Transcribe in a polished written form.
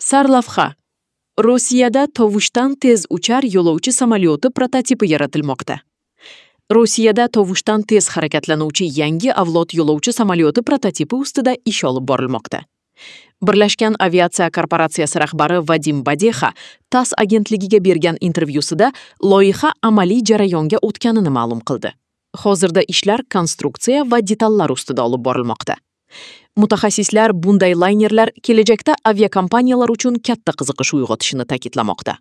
Sarlavha: Rossiyada tovushdan tez uchar yo'lovchi samolyoti prototipi yaratilmoqda. Rossiyada tovushdan tez harakatlanuvchi yangi avlod yo'lovchi samolyoti prototipi ustida ish olib borilmoqda. Birlashgan aviatsiya korporatsiyasi rahbari Vadim Badexa TASS agentligiga bergan intervyusida loyiha amaliy jarayonga o'tganini ma'lum qildi. Hozirda ishlar konstruksiya va detallar ustida olib borilmoqda. Mutaxassislar bunday laynerlar kelajakda aviakompaniyalar uchun katta qiziqish uyg'otishini ta'kidlamoqda.